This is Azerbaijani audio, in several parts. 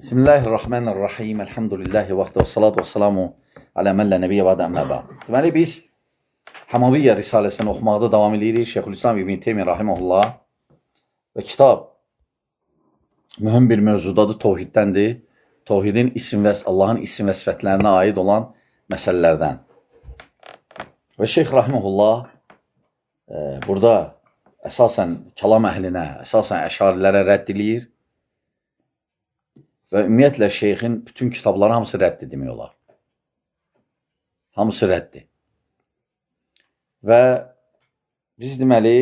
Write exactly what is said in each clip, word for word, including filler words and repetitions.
Bismillahirrahmanirrahim. Elhamdülillahi vəxdə və salatu və salamu alə mən lə nəbiyyə və əmmə bə'd. Deməli, biz Həmaviyyə Risaləsini oxumaqda davam edirik. Şeyxülislam İbn Teymiyyə rahimehullah və kitab mühüm bir mövzudadır, tohiddəndir. Tohidin isim və Allahın isim və sifətlərinə aid olan məsələlərdən. Və Şeyx rahimehullah e, burada əsasən kəlam əhlinə, əsasən əşarilərə rədd edir. Və ümumiyyətlə şeyxin bütün kitabları hamısı rəddir demək olar. Hamısı rəddir. Və biz deməli,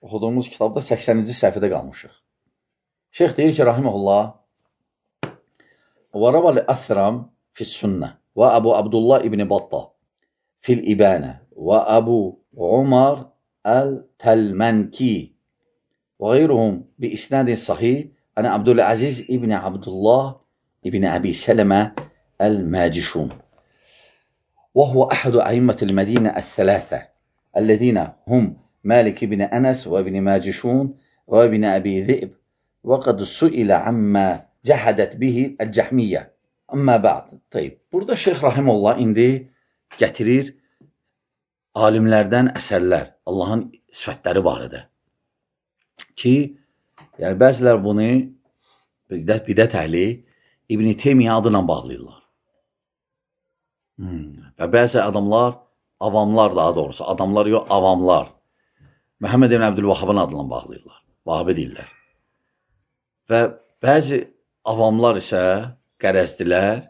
oxuduğumuz kitabda səksəninci səhifədə qalmışıq. Şeyx deyir ki, rahimehullah, وَرَوَى الْأَثْرَمْ فِي السُنَّةِ وَأَبُو عَبْدُ اللّٰهِ إِبْنِ بَطَّةَ فِي الْإِبَانَةِ وَأَبُو عُمَرْ الْتَلْمَنْكِي وَغَيْرُهُمْ بِإِسْنَادٍ صَحِيحٍ عن عبد العزيز ابن عبد الله ابن أبي سلمة الماجشون وهو أحد أئمة المدينة الثلاثة الذين هم مالك بن أنس وابن ماجشون وابن أبي ذئب وقد سئل عما جحدت به الجحمية أما بعد. طيب. Burada Şeyx Rahimullah indi gətirir alimlərdən əsərlər Allahın sifətləri barədə ki, yəni, bəzilər bunu bidət, bidət əhli İbn Teymiyyə adına bağlayırlar. Hmm. Və bəzi adamlar, avamlar daha doğrusu, adamlar yox, avamlar Məhəmməd ibn Əbdülvahhabın adına bağlayırlar. Vahabi deyirlər. Və bəzi avamlar isə qərəzdilər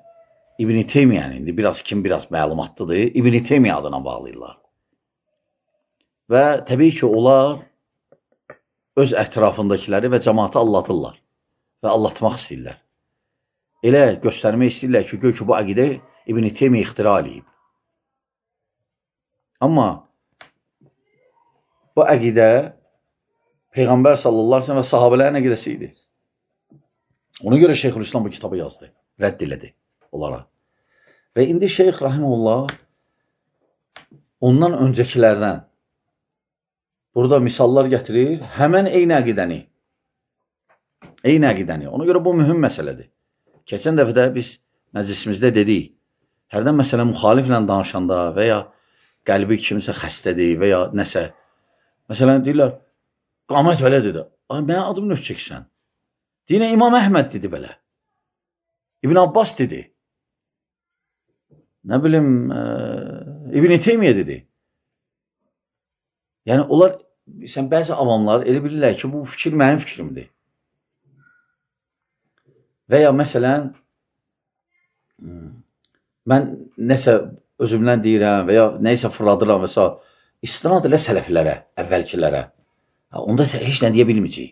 İbn Teymiyyənin, indi biraz kim biraz məlumatlıdır, İbn Teymiyyə adına bağlayırlar. Və təbii ki, onlar öz ətrafındakiləri və cəmaatı allatırlar və allatmaq istəyirlər. Elə göstərmək istəyirlər ki, gör ki, bu əqidə İbn Teymiyyə ixtira eləyib. Amma bu əqidə Peyğəmbər sallallahu əleyhi və səlləm və sahabələrin əqidəsi idi. Ona görə Şeyxülislam bu kitabı yazdı, rədd elədi onlara. Və indi Şeyx Rahimullah ondan öncəkilərdən burada misallar gətirir, həmən eyni əqidəni. Eyni əqidəni. Ona görə bu mühüm məsələdir. Keçən dəfədə biz məclisimizdə dedik, hərdən məsələ müxaliflə danışanda və ya qəlbi kimsə xəstədir və ya nəsə, məsələn, deyirlər, qamət belə dedi, ay, mənə adım növ çəksən. Deyinə, İmam Əhməd dedi belə. İbn Abbas dedi. Nə bilim, e, İbn Teymiyyə dedi. Yəni, onlar, sən bəzi avamlar elə bilirlər ki, bu fikir mənim fikrimdir. Və ya, məsələn, mən nəsə özümdən deyirəm və ya nəyisə fırladıram və s. İstinad elə sələflərə, əvvəlkilərə. Onda heç nə deyə bilməyəcək.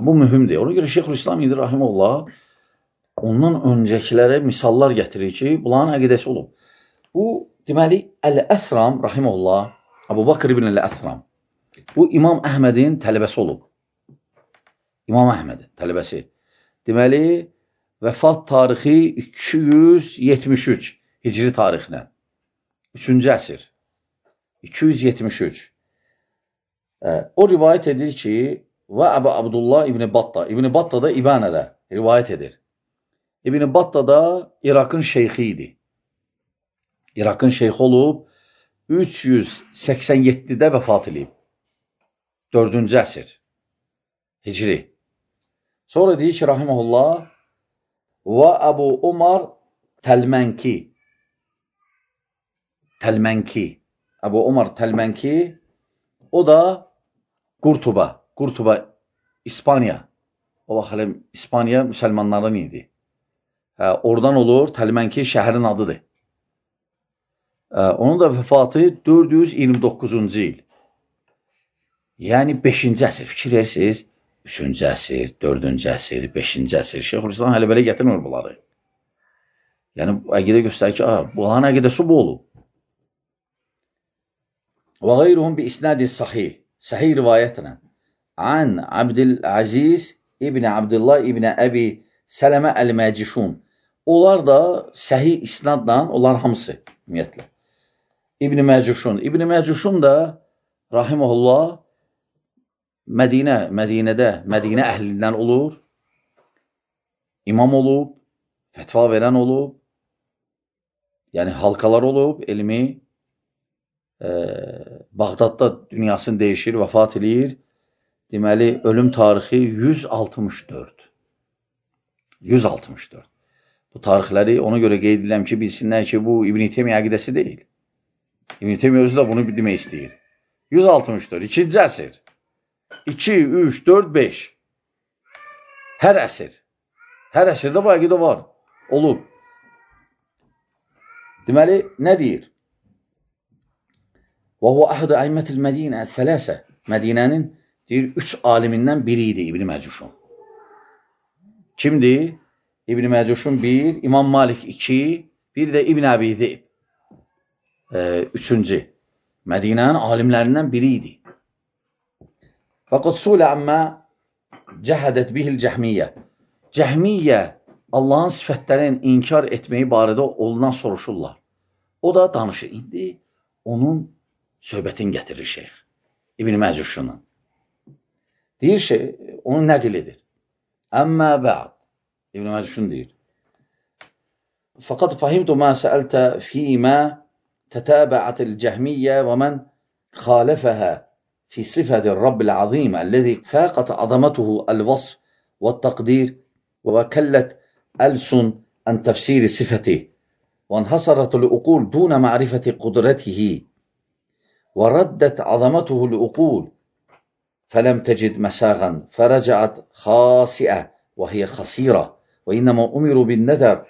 Bu mühümdir. Ona görə Şeyxülislam İbn Rahimullah ondan öncəkilərə misallar gətirir ki, bunların əqidəsi olub. Bu, deməli, Əl-Əsram Rahimullah, Əbu Bakr ibn Əl-Əsram, bu İmam Əhmədin tələbəsi olub. İmam Əhmədin tələbəsi. Deməli, vəfat tarixi iki yüz yetmiş üç hicri tarixinə. üçüncü əsr. iki yüz yetmiş üç. O rivayət edir ki, və Əbu Abdullah İbn Batta, İbn Batta da İbanədə rivayət edir. İbn Batta da İraqın şeyxi idi. İraqın şeyxi olub, üç yüz səksən yeddidə vəfat edib. dördüncü əsr. Hicri. Sonra deyir ki, rahiməhullah, və Əbu Umar Təlmənki. Təlmənki. Əbu Umar Təlmənki, o da Qurtuba. Qurtuba, İspaniya. O vaxt İspaniya müsəlmanların idi. Hə, oradan olur, Təlmənki şəhərin adıdır. Hə, onun da vəfatı dörd yüz iyirmi doqquzuncu il. Yəni, beşinci əsr. Fikir verirsiniz, üçüncü əsr, dördüncü əsr, beşinci əsr. Şeyxülislam hələ belə gətirmir bunları. Yəni, əqidə göstərir ki, bunların əqidəsi bu olub. Və qeyruhum bi isnadin sahih, sahih rivayətlə an Abdülaziz ibn Abdullah ibn Əbi Sələmə Əl-Məcişun. Onlar da səhih isnadla, onlar hamısı, ümumiyyətlə. İbn Məcişun. İbn Məcişun da, rahiməhullah, Mədinə, Mədinədə, Mədinə əhlindən olur imam olub, fətva verən olub, yəni halqalar olub, elmi, e, Bağdadda dünyasını dəyişir, vəfat edir. Deməli, ölüm tarixi yüz altmış dörd. yüz altmış dörd. Bu tarixləri ona görə qeyd edirəm ki, bilsinlər ki, bu İbn Teymiyyə əqidəsi deyil. İbn Teymiyyə özü də bunu demək istəyir. yüz altmış dörd, ikinci əsr. iki, üç, dörd, beş. Hər əsr. Hər əsrdə bu əqidə var. Olub. Deməli, nə deyir? Və huvə əhədə əymmətil Mədinə sələsə. Mədinənin deyir, üç alimindən biri idi İbn Məcuşun. Kimdir? İbn Məcuşun bir, İmam Malik iki, bir də İbn Əbi Zeyb. E, üçüncü. Mədinənin alimlərindən biri idi. Fəqad sulə əmmə cəhədət bihil cəhmiyyə. Cəhmiyyə Allahın sifətlərini inkar etməyi barədə ondan soruşurlar. O da danışır. İndi onun söhbətini gətirir şeyx. İbn Məcuşunun. Deyir şey, onu nəql edir. Əmmə bə'd. İbn Məcuşun deyir. Fəqad fahimtu mə səəltə fīmə tətəbəətil cəhmiyyə və mən xalifəhə fi sifətir Rabbil azim əlləzi fəqət azamatuhu əl-vasf və təqdir və kəllət ألسن عن تفسير صفته وانحصرت العقول دون معرفة قدرته وردت عظمته العقول فلم تجد مساغا فرجعت خاسئة وهي خسيرة وإنما أمروا بالنذر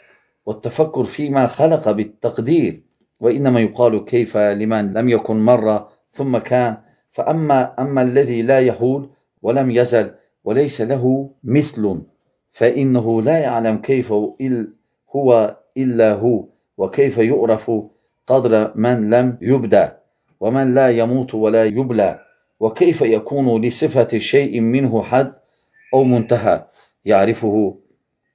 والتفكر فيما خلق بالتقدير وإنما يقال كيف لمن لم يكن مرة ثم كان فأما أما الذي لا يحول ولم يزل وليس له مثل فإنه لا يعلم كيف هو إلا هو وكيف يعرف قدر من لم يبدأ ومن لا يموت ولا يبلى وكيف يكون لصفة شيء منه حد أو منتهى يعرفه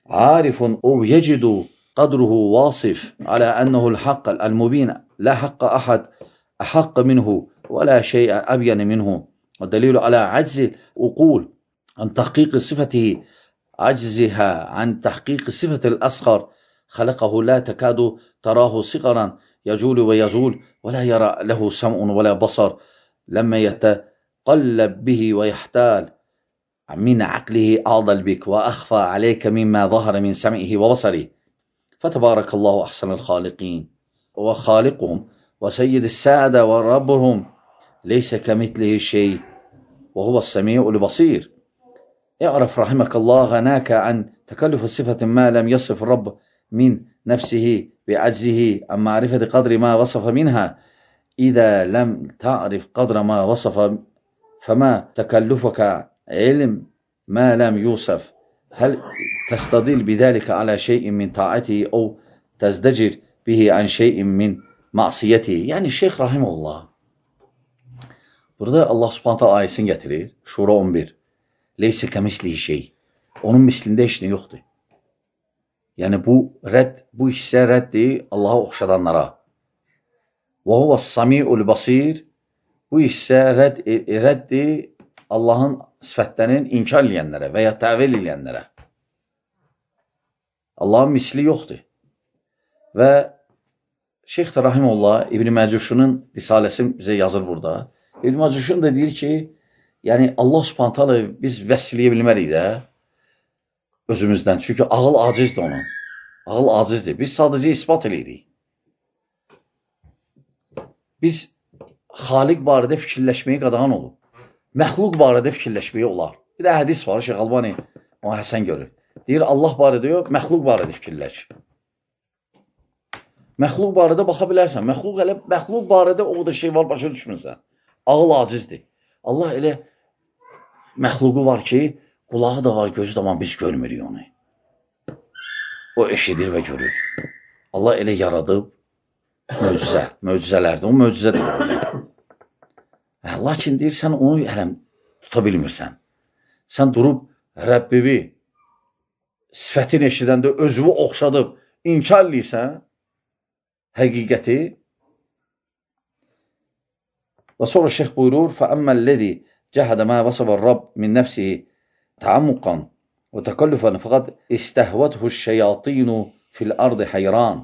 عارف أو يجد قدره واصف على أنه الحق المبين لا حق أحد أحق منه ولا شيء أبين منه والدليل على عجز العقول عن تحقيق صفته عجزها عن تحقيق صفة الأصغر خلقه لا تكاد تراه صغرا يجول ويزول ولا يرى له سمع ولا بصر لما يتقلب به ويحتال من عقله أعضل بك وأخفى عليك مما ظهر من سمعه وبصره فتبارك الله أحسن الخالقين وخالقهم وسيد السادة وربهم ليس كمثله شيء وهو السميع البصير اعرف رحمك الله غناك عن تكلف صفة ما لم يصف الرب من نفسه بعجزه عن معرفة قدر ما وصف منها إذا لم تعرف قدر ما وصف فما تكلفك علم ما لم يوصف هل تستدل بذلك على شيء من طاعته أو تزدجر به عن شيء من معصiyeti. Yəni Şeyx Rahimullah burada Allah Subhanahu taala ayəsini gətirir. Şura on bir. Leysə kəmislihi şey. Onun mislində heç nə yoxdur. Yəni bu rədd, bu hissə rəddir Allaha oxşadanlara. Və huvəs-samiul basir. Bu hissə rədd rəddir Allahın sifətlərinin inkar edənlərə və ya təvil edənlərə. Allahın misli yoxdur. Və Şeyx Rahimullah İbn Məcuşunun risaləsi bizə yazır burada. İbn Məcuşun da deyir ki, yəni Allah Subhanahu taala biz vəsfləyə bilmərik də özümüzdən. Çünki ağıl acizdir onun. Ağıl acizdir. Biz sadəcə isbat edirik. Biz Xaliq barədə fikirləşməyi qadağan olub. Məxluq barədə fikirləşməyi olar. Bir də hədis var, Şeyx Albani o Həsən görür. Deyir Allah barədə yox, məxluq barədə fikirləş. Məxluq barədə baxa bilərsən. Məxluq elə məxluq barədə o da şey var, başa düşmürsən. Ağıl acizdir. Allah elə məxluqu var ki, qulağı da var, gözü də var, biz görmürük onu. O eşidir və görür. Allah elə yaradıb möcüzə, möcüzələrdir. O möcüzədir. Lakin deyir, sən onu hələm tuta bilmirsən. Sən durub Rəbbivi sifətin eşidəndə özünü oxşadıb inkar edirsən həqiqəti. Və sonra şeyx buyurur, فَأَمَّا الَّذِي جَهَدَ مَا وَصَفَ الرَّبِّ مِنْ نَفْسِهِ تَعَمُّقًا وتكلفا فقد استهوته الشياطين في الأرض حيران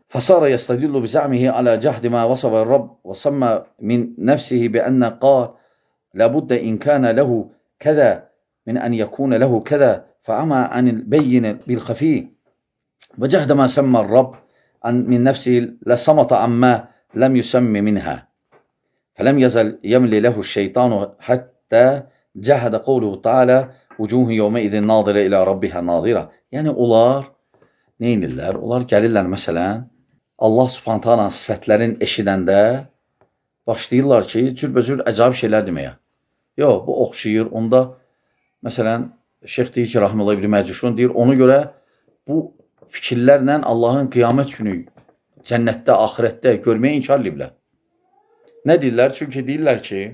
فصار يستدل بزعمه على جهد ما وصف الرب وسمى من نفسه بأن قال لابد إن كان له كذا من أن يكون له كذا فعمى عن البين بالخفي وجهد ما سمى الرب من نفسه لصمت عما لم يسم منها فلم يزل يملي له الشيطان حتى جهد قوله تعالى وجوه يومئذ ناظرة إلى ربها ناظرة. Yəni onlar neynirlər? Onlar gəlirlər məsələn Allah Subhanahu taala sifətlərin eşidəndə başlayırlar ki, cürbəcür əcaib şeylər deməyə. Yox, bu oxşayır. Onda məsələn Şeyx deyir ki, Rahimullah İbn Məcuşun deyir, ona görə bu fikirlərlə Allahın qiyamət günü cənnətdə, axirətdə görməyə inkar ediblər. Nə deyirlər? Çünki deyirlər ki,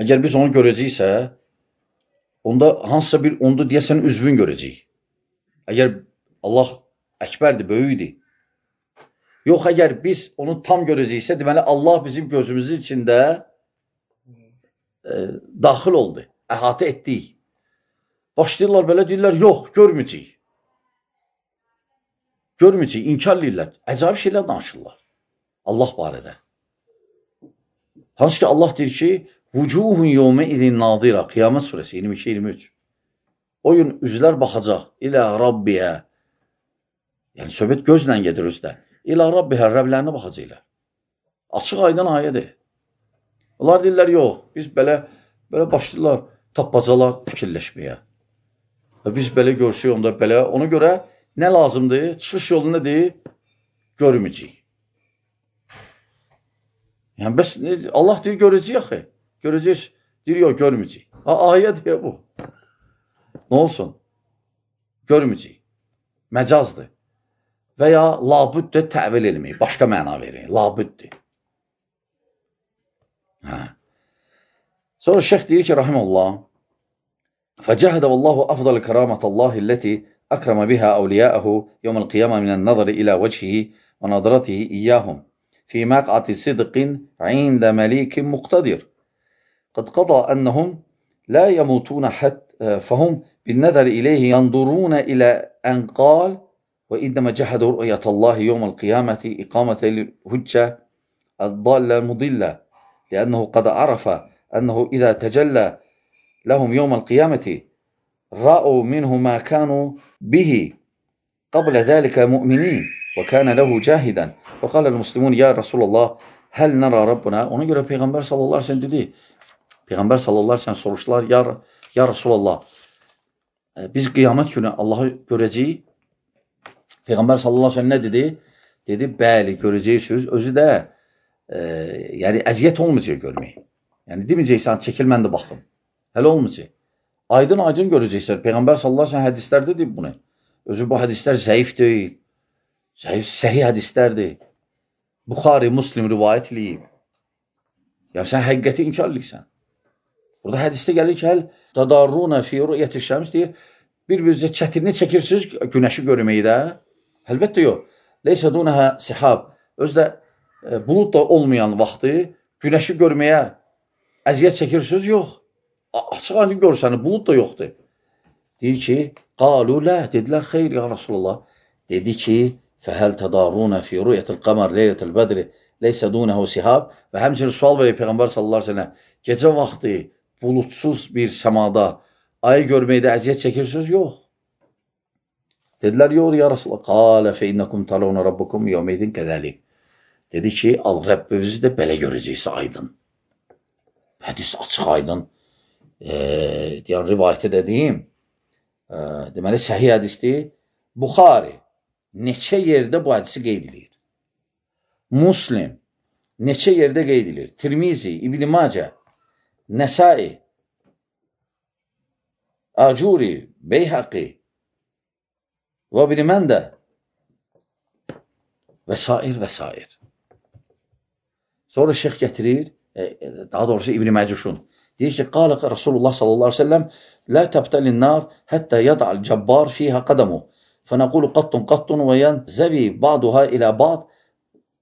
əgər biz onu görəcəksə, onda hansısa bir, onda deyəsən üzvün görəcəyik. Əgər Allah əkbərdir, böyükdir. Yox, əgər biz onu tam görəcəksə, deməli Allah bizim gözümüzün içində e, daxil oldu, əhatə etdik. Başlayırlar belə deyirlər, yox, görməyəcəyik. Görməyəcəyik, inkar edirlər. Əcayib şeylər danışırlar Allah barədə. Hansı ki Allah deyir ki, Vucuhun yevme idin nadira. Qiyamət surəsi iyirmi iki iyirmi üç. O gün üzlər baxacaq. İlə Rabbiyə. Yəni söhbət gözlə gedir özdə. İlə Rabbiyə, Rəblərinə baxacaqlar. Açıq aydın ayədir. Onlar deyirlər, yox, biz belə, belə başlayırlar, tapbacalar fikirləşməyə. Və biz belə görsək onda belə, ona görə nə lazımdır? Çıxış yolu nədir? Görməyəcəyik. Yəni, bəs Allah deyir, görəcəyik axı. Görəcək, deyir, yox, görməyəcək. Ayə deyə bu. Nə olsun? Görməyəcək. Məcazdır. Və ya labüddür təvil elməyik. Başqa məna verin. Labüddür. Hə. Sonra şeyx deyir ki, rahiməllah, فَجَهَدَ وَاللّٰهُ أَفْضَلِ كَرَامَةَ اللّٰهِ الَّتِي أَكْرَمَ بِهَا أَوْلِيَاءَهُ يَوْمَ الْقِيَامَةِ مِنَ النَّظَرِ إِلَى وَجْهِهِ وَنَظْرَتِهِ إِيَّاهُمْ فِي مَقْعَةِ صِدْقٍ عِنْدَ مَلِيكٍ مُقْتَدِرٍ قد قضى أنهم لا يموتون حتى فهم بالنظر إليه ينظرون إلى أن قال وإنما جحدوا رؤية الله يوم القيامة إقامة الهجة الضالة المضلة لأنه قد عرف أنه إذا تجلى لهم يوم القيامة رأوا منه ما كانوا به قبل ذلك مؤمنين وكان له جاهدا وقال المسلمون يا رسول الله هل نرى ربنا. Ona görə Peyğəmbər sallallahu aleyhi ve sellem dedi, Peyğəmbər sallallahu aleyhi ve sellem soruşdular, ya, ya Rasulallah, biz qiyamət günü Allahı görəcəyik. Peyğəmbər sallallahu aleyhi ve sellem nə dedi? Dedi, bəli, görəcəksiniz. Özü də e, yəni əziyyət olmayacaq görmək. Yəni deməyəcəksən, çəkil mən də baxım. Hələ olmayacaq. Aydın-aydın görəcəksən. Peyğəmbər sallallahu aleyhi ve sellem hədislərdə deyib bunu. Özü bu hədislər zəif deyil. Zəif, səhih hədislərdir. Buxari, Muslim rivayət eləyib. Yəni sən həqiqəti inkar edirsən. Burada hədisdə gəlir ki, həl tadarruna fi ru'yati şəms deyir, bir-birinizə çətinlik çəkirsiniz günəşi görməkdə. Əlbəttə yox. Leysə dunəhə sihab. Özdə e, bulud da olmayan vaxtı günəşi görməyə əziyyət çəkirsiniz, yox. Açıq aydın görsəni, bulud da yoxdur. Deyir ki, qalu lə, dedilər, xeyr ya Rasulullah. Dedi ki, fəhəl tadarruna fi ru'yatil qamar leylətəl bədri leysə dunəhə sihab. Və həmçinin sual verir Peyğəmbər sallallahu aleyhi ve sellem, gecə vaxtı bulutsuz bir səmada ayı görməkdə əziyyət çəkirsiniz? Yox. Dedilər, yox ya Rasulullah. Qalə fə innəkum talavna rabbukum yevmeydin qədəlik. Dedi ki, al Rəbbimizi də belə görəcəksə aydın. Hədis açıq aydın. E, deyən rivayətə dediyim, e, deməli səhih hədisdir. Buxari neçə yerdə bu hədisi qeyd edir. Muslim neçə yerdə qeyd edir. Tirmizi, İbn-i Macə, Nəsai, Acuri, Beyhaqi və İbn Məndə və sair və sair. Sonra şeyx gətirir, daha doğrusu İbn Məcuşun. Deyir ki, qalə Rasulullah sallallahu aleyhi ve sellem لا تبتلي النار حتى يضع الجبار فيها قدمه فنقول قط قط وينزوي بعضها إلى بعض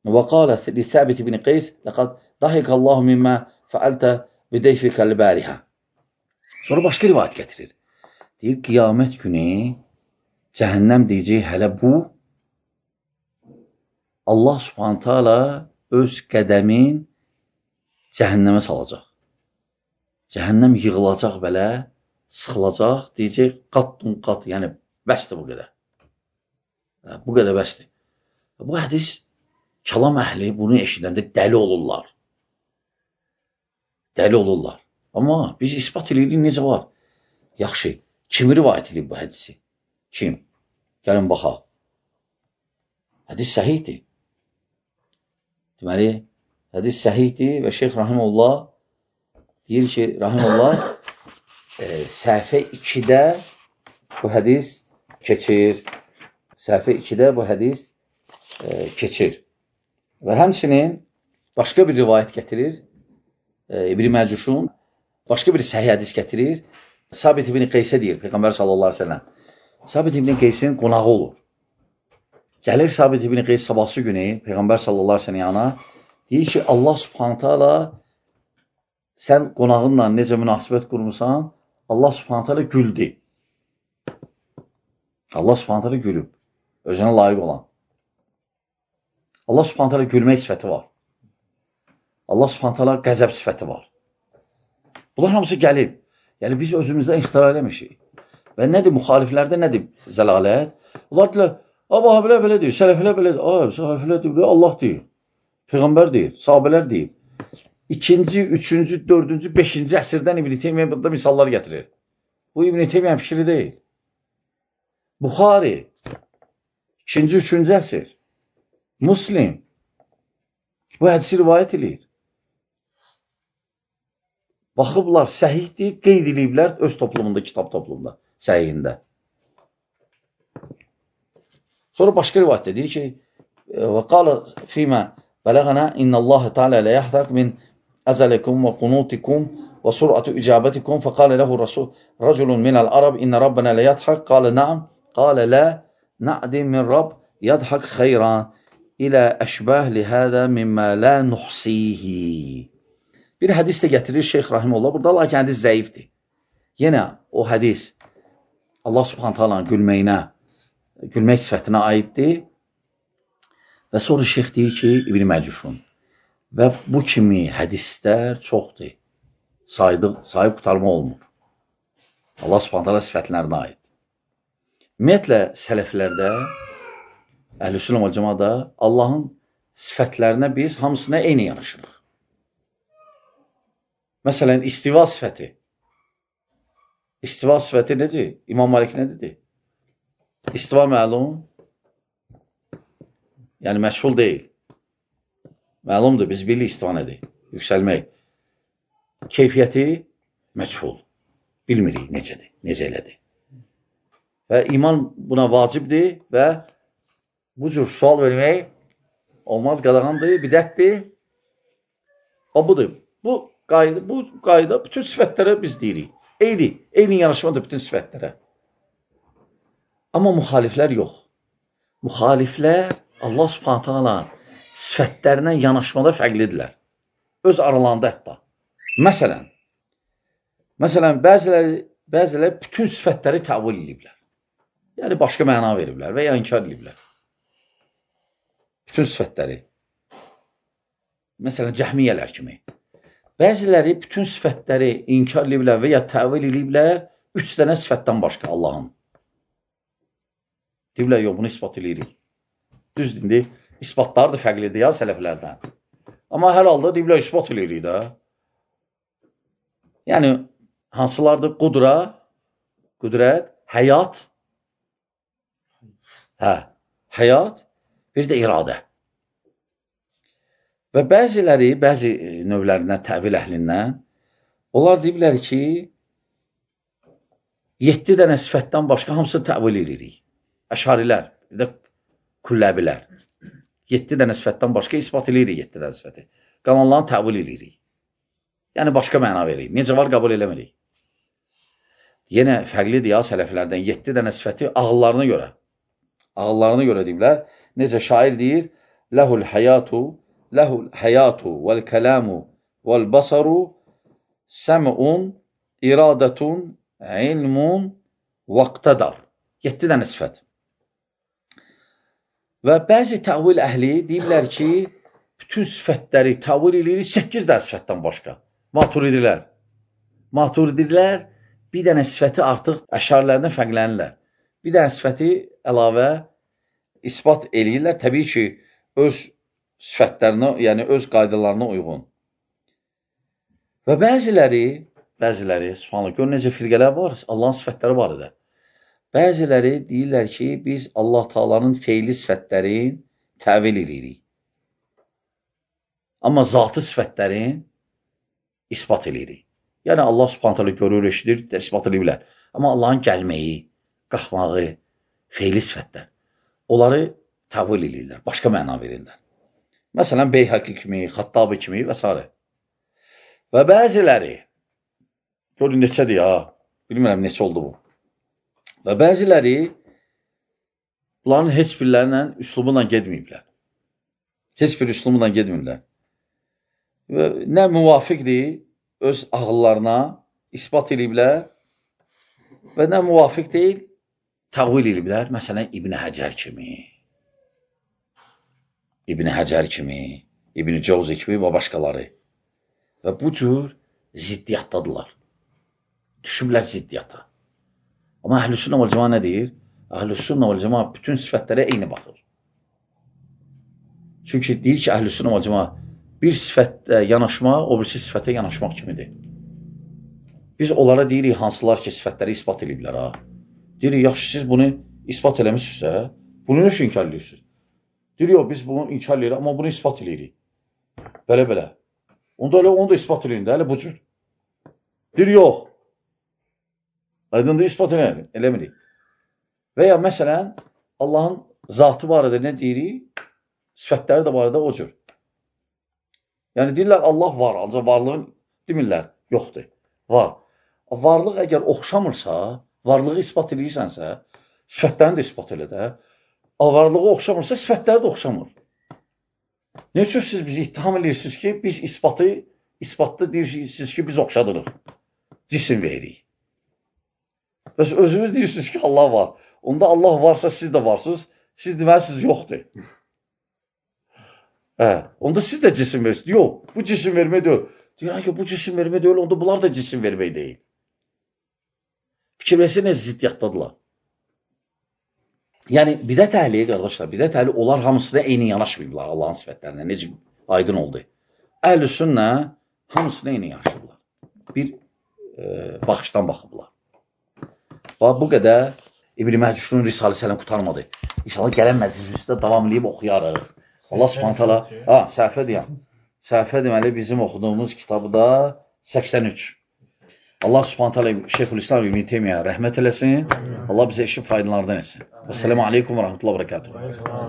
وقال لثابت بن قيس لقد ضحك الله مما فعلت بدeyfik البارحة. Sonra başqa rivayət gətirir. Deyir, qiyamət günü cəhənnəm deyəcək, hələ bu Allah subhanətə alə öz qədəmin cəhənnəmə salacaq. Cəhənnəm yığılacaq belə, sıxılacaq, deyəcək, qat-dun qat, yəni bəsdir bu qədər. Bu qədər bəsdir. Bu hədis, kəlam əhli bunu eşidəndə dəli olurlar. Dəli olurlar. Amma biz ispat edirik, necə var? Yaxşı, kim rivayət edib bu hədisi? Kim? Gəlin baxaq. Hədis səhihdir. Deməli, hədis səhihdir və Şeyx Rahimullah deyir ki, Rahimullah e, səhifə ikidə bu hədis keçir. Səhifə ikidə bu hədis e, keçir. Və həmçinin başqa bir rivayət gətirir. E, İbn Məcuşun başqa bir səhih hədis gətirir. Sabit ibn Qeysə deyir, Peyğəmbər sallallahu əleyhi və səlləm. Sabit ibn Qeysin qonağı olur. Gəlir Sabit ibn Qeys sabahsı günü Peyğəmbər sallallahu əleyhi və səlləm yana, deyir ki, Allah subhanətə alə sən qonağınla necə münasibət qurmusan, Allah subhanətə alə güldü. Allah subhanətə alə gülüb. Özünə layiq olan. Allah subhanətə alə gülmək sifəti var. Allah subhanətə alə qəzəb sifəti var. Bunlar hamısı gəlib. Yəni, biz özümüzdən ixtira eləmişik. Və nədir, müxaliflərdə nədir zəlalət? Onlar deyilər, Aba, belə belə deyir, sələfələr belə deyir, ay, sələfələr deyir, Allah deyir, Peyğəmbər deyir, sahabələr deyir. İkinci, üçüncü, dördüncü, beşinci əsrdən İbn Teymiyyə burada misallar gətirir. Bu İbn Teymiyyə fikri deyil. Buxari, ikinci, üçüncü əsr. Muslim, bu hədisi rivayət edir. Baxıblar, səhihdir, qeyd ediblər öz toplumunda, kitab toplumunda, səhihində. Sonra başqa rivayətdə deyir ki, və qala fīmə bələğənə innəlləhə teala lə yəhdək min əzəlikum və qunutikum və sur'atu icabetikum fəqalə ləhu rəculun minəl arab innə rabbənə lə yədhək qalə nəam, qalə lə nə'dim min rab yədhək xeyran ilə əşbəh lihədə mimmə lə nuhsihi. Bir hədis də gətirir Şeyx Rahimullah. Burada lakin hədis zəifdir. Yenə o hədis Allah subhanətə alanın gülməyinə, gülmək sifətinə aiddir. Və sonra şeyx deyir ki, İbn Məcuşun və bu kimi hədislər çoxdur. Saydı, sayıb qutarma olmur. Allah subhanətə alə sifətlərinə aid. Ümumiyyətlə, sələflərdə, Əhl-i-Sünnə və Cəmadə Allahın sifətlərinə biz hamısına eyni yanaşırıq. Məsələn, istiva sifəti. İstiva sifəti necə? İmam Malik nə dedi? İstiva məlum, yəni məşhul deyil. Məlumdur, biz bilirik istiva nədir? Yüksəlmək. Keyfiyyəti məşhul. Bilmirik necədir, necə elədir. Və iman buna vacibdir və bu cür sual vermək olmaz, qadağandır, bidətdir. O budur. Bu qayda, bu qayda bütün sifətlərə biz deyirik. Eyni, eyni yanaşmadır bütün sifətlərə. Amma müxaliflər yox. Müxaliflər Allah subhanətə alə sifətlərinə yanaşmada fərqlidirlər. Öz aralarında hətta. Məsələn, məsələn, bəziləri, bəziləri bütün sifətləri təvil ediblər. Yəni, başqa məna veriblər və ya inkar ediblər. Bütün sifətləri. Məsələn, cəhmiyyələr kimi. Bəziləri bütün sifətləri inkar ediblər və ya təvil ediblər üç dənə sifətdən başqa Allahın. Deyiblər, yox, bunu ispat edirik. Düz dindir, isbatlar da fərqlidir ya sələflərdən. Amma hər halda deyiblər, ispat edirik də. Yəni, hansılardır? Qudra, qüdrət, həyat, hə, həyat, bir də iradə. Və bəziləri, bəzi növlərindən, təvil əhlindən, onlar deyiblər ki, yeddi dənə sifətdən başqa hamısı təvil edirik. Əşarilər, bir də kulləbilər. Yeddi dənə sifətdən başqa ispat edirik, yeddi dənə sifəti. Qalanlarını təvil edirik. Yəni, başqa məna veririk. Necə var, qəbul eləmirik. Yenə fərqlidir ya sələflərdən, yeddi dənə sifəti ağıllarına görə. Ağıllarına görə deyiblər. Necə şair deyir, ləhul həyatu, ləhul həyatu vəl-kələmu vəl-basaru səm'un, iradətun, ilmun vaqtadar. yeddi dənə sifət. Və bəzi təvil əhli deyirlər ki, bütün sifətləri təvil edilir səkkiz dənə sifətdən başqa. Maturidilər. Maturidilər bir dənə sifəti artıq əşarilərdən fərqlənirlər. Bir dənə sifəti əlavə isbat eləyirlər. Təbii ki, öz sifətlərinə, yəni öz qaydalarına uyğun. Və bəziləri, bəziləri, subhanallah, gör necə firqələr var, Allahın sifətləri var idi. Bəziləri deyirlər ki, biz Allah Taala'nın feili sifətlərin təvil edirik. Amma zatı sifətlərin isbat edirik. Yəni Allah Subhanahu taala görür, eşidir, isbat edə bilər. Amma Allahın gəlməyi, qalxmağı, feili sifətlər, onları təvil edirlər, başqa məna verirlər. Məsələn, Beyhaqi kimi, Xattabi kimi və s. Və bəziləri, görün neçədir ya, bilmirəm neçə oldu bu. Və bəziləri bunların heç birlərlə üslubunla gedməyiblər. Heç bir üslubunla gedmirlər. Və nə müvafiqdir, öz ağıllarına isbat ediblər və nə müvafiq deyil, təvil ediblər. Məsələn, İbn Həcər kimi, İbn Həcər kimi, İbn Cəvzi kimi və başqaları. Və bu cür ziddiyyatdadırlar. Düşüblər ziddiyyata. Amma Əhl-i-Sünnə vəl-Cəmaə nə deyir? Əhl-i-Sünnə vəl-Cəmaə bütün sifətlərə eyni baxır. Çünki deyir ki, Əhl-i-Sünnə vəl-Cəmaə bir sifətdə yanaşmaq, o birisi sifətə yanaşmaq kimidir. Biz onlara deyirik, hansılar ki, sifətləri isbat ediblər. Ha? Deyirik, yaxşı, siz bunu isbat eləmişsinizsə, bunu nə inkar edirsiniz? Deyirik, yox, biz bunu inkar edirik, amma bunu isbat edirik. Belə-belə. Onda elə onu da ispat edin də, elə bu cür. Deyirik, yox. Aydındır, ispat eləmirik. Və ya məsələn, Allahın zatı barədə nə deyirik? Sifətləri də barədə o cür. Yəni, deyirlər, Allah var, ancaq varlığın demirlər, yoxdur, var. Varlıq əgər oxşamırsa, varlığı ispat edirsənsə, sifətlərini də ispat elə də. Varlığı oxşamırsa, sifətləri də oxşamır. Ne üçün siz bizi ittiham edirsiniz ki, biz isbatı, isbatda deyirsiniz ki, biz oxşadırıq, cisim veririk. Və özünüz deyirsiniz ki, Allah var. Onda Allah varsa siz də varsınız, siz deməlisiniz, yoxdur. Hə, onda siz də cisim verirsiniz. Yox, bu cisim vermək deyil. Deyirəm ki, bu cisim vermək deyil, onda bunlar da cisim vermək deyil. Fikirləşsə nə ziddiyyatdadırlar. Yəni, bidət əhli, qardaşlar, bidət əhli, onlar hamısına eyni yanaşmayıblar Allahın sifətlərinə. Necə aydın oldu? Əhl-i sünnə hamısına eyni yanaşırlar. Bir e, baxışdan baxıblar. Bax, bu qədər İbn-i Məcuşun Risalə-i qutarmadı. İnşallah gələn məclisimizdə davam edib oxuyarıq. Allah subhanət hala, ha, səhvə deyəm. Səhvə deməli bizim oxuduğumuz kitabda səksən üç. Allah subhanət hala Şeyxülislam İbn-i Teymiyyə rəhmət eləsin. Allah bizə işin faydalardan etsin. Vəssalamu aleykum və rəhmətullahi və bərəkatuhu.